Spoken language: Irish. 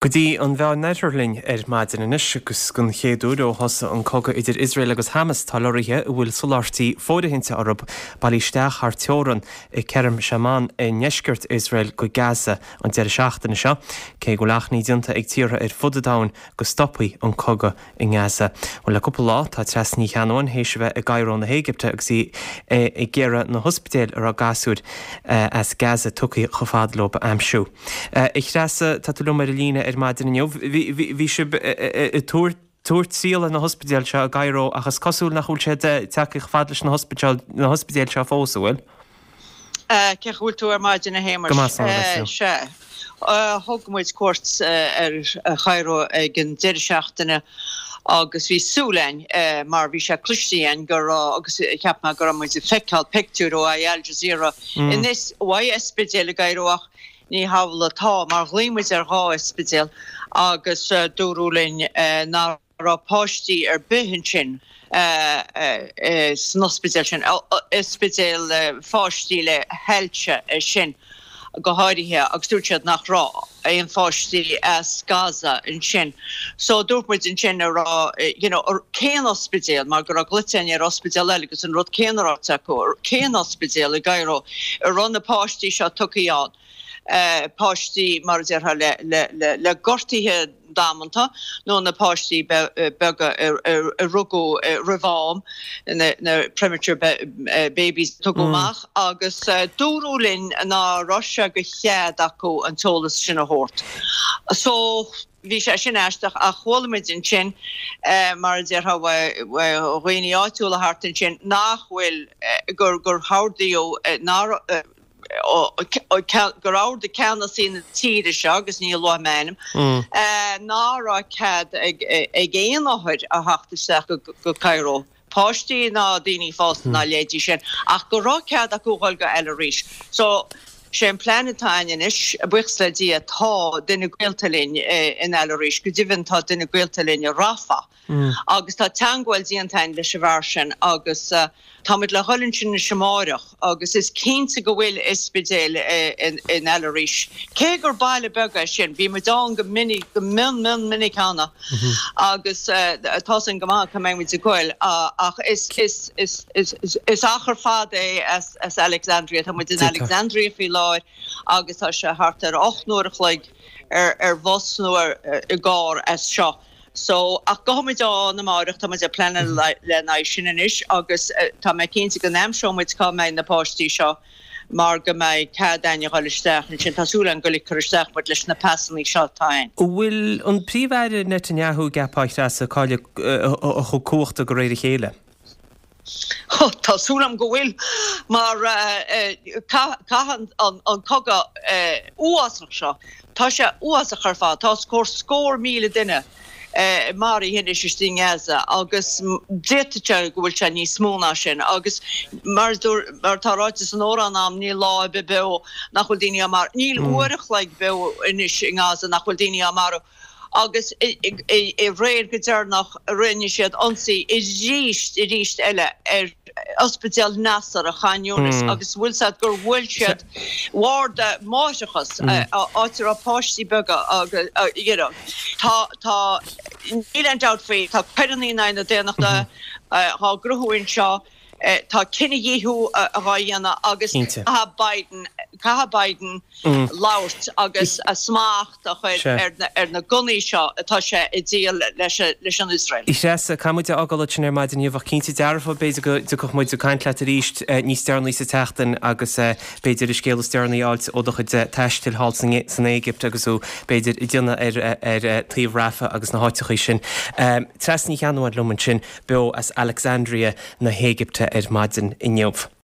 Go dtí an Mheánoirthear linn ar maidin anois agus den chéad uair ó thosaigh an cogadh idir Iosrael agus Hamas tá lorraithe a bhfuil soláthairtí fóirithinte orthu bailithe isteach thar teorann i Kerem Shalom i ndeisceart Iosrael go Gaza an deireadh seachtaine seo, cé go bhfuil achainí déanta ag tíortha ar fud an domhain go stopfaí an cogadh i nGaza. Bhuel, le cúpla lá, tá Treasa Ní Cheannabháin théis a bheith i gCairo na hÉigipte agus í ag iarraidh na hospidéil a raibh gasúir as Gaza tugtha chomh fada leo a aimsiú. A Threasa, tá tú liom ar an líne ar maidin inniu. Bhí sibh ag tabhairt triall ar na hospidéil seo i gCairo ach is cosúil nach bhfuil siad tagtha chomh fada leis na hospidéil seo fós, an bhfuil? Cén chaoi a bhfuil tú ar maidin a Shéamais? Go maith, slán agat. Sea. Thug muid cuairt ar Chairo ag an deireadh seachtaine agus bhí súil againn mar bhí sé cloiste againn go raibh agus cheap mé go raibh muid ag feiceáil pictiúir ó Al Jazeera ó ospidéal i gCairo ach ní hamhlaidh atá mar ghlaoigh muid ar dhá ospidéal agus dúradh linn nach raibh páistí ar bith ansin san ospidéal sin, ospidéal pháistí le hailse é sin go háirithe agus dúirt siad nach raibh aon pháistí as Gaza ansin. So dúirt muid ansin a raibh, you know, cén ospidéal, mar go raibh glaoite againn ar ospidéal eile agus an rud céanna ráite acu, cén ospidéal i gCairo a raibh na páistí seo tugtha ann. páistí, mar a déarfá, le gortuithe damanta nó na páistí beaga a rugadh roimh am, na premature babies a tugadh amach agus dúradh linn ná raibh sé de chead acu an t-eolas sin a thabhairt. So bhí sé sin aisteach ach chuala muid ansin, mar a déarfá, ó dhaoine áitiúla thart ansin nach bhfuil, gur hordaíodh nár, gur ordaigh ceannasaí na tíre seo, agus ní luafaidh mé ainm, ná raibh cead ag aon othair a theacht isteach go Cairo, páistí ná daoine fásta ná a leithéidí sin, ach go raibh cead acu dhul go Al Arish. So, sé an plean atá againn anois, buíochas le Dia, tá duine gaolta linn in Al Arish, go deimhin tá duine gaolta linn i Rafah. Agus tá teangmháil déanta againn leis an bhfear sin agus táimid le dhul ansin anois amáireach agus is cinnte go bhfuil ospidéal in Al Arish. Cé gur baile beag é sin, bhí muid ann go minic, go mion mion minic cheana agus tá's againn go maith cá mbeidh muid ag goil ach is is is is is achar fada é as as Alexandria. Tá muid in Alexandria faoi láthair agus tá sé thart ar 8 n-uair a chloig ar ar bhus nó ar i gcarr as seo. So, ach gabhfaidh muid ann amáireach, tá muid ag pleanáil lena aghaidh sin anois agus tá mé cinnte go n-aimseoidh muid cá mbeidh na páistí seo mar go mbeidh cead a'inn a dhul isteach ansin. Tá súil a'inn go ligfear isteach muid leis na pasannaí seo atá a'inn. An bhfuil an Príomh-Aire Netanyahu, an gceapfá, a Threasa, ag cailleadh a chuid cumhachta de réir a chéile? Tá súil agam go bhfuil, mar caithfidh an cogadh uafásach seo, tá sé uafásach ar fad, tá os comhair scór míle duine maraithe anois istigh i nGaza agus d'fhéadfadh sé go bhfuil sé níos mó ná sin agus mar atá ráite san amhrán a'm, níl lá ar bith beo nach bhfuil daoine á marú, níl uair a chloig beo anois i nGaza nach bhfuil daoine á marú. agus aréir go deireanach rinne siad ionsaí arís arís eile ar Ospidéal Nasser i Khan Younis agus bhfuil 's a'd gur bhuail siad warda máithreachas áit a raibh páistí beaga agus you know tá tá níl aon dabht faoi tá coireanna in aghaidh na daonnachta á gcruthú anseo tá cinedhíothú á dhéanamh agus caithfidh Biden caithfidh Biden labhairt agus a smacht a chur ar na gunnaí seo atá sé ag díol leis an Iosrael. A Threasa, caithfidh muid a fhágáil ansin ar maidin inniu ach cinnte dearfa b'fhéidir go dtiocfadh muid ag caint leat arís níos deireanaí sa tseachtain agus b'fhéidir an scéal is deireanaí a fháilt ó do chuid taistil thall san Éigipt agus thú b'fhéidir ag déanamh ar taobh Rafah agus na háiteachaí sin. Treasa Ní Cheannabháin liom ansin beo as Alexandria na hÉigipte ar maidin inniu.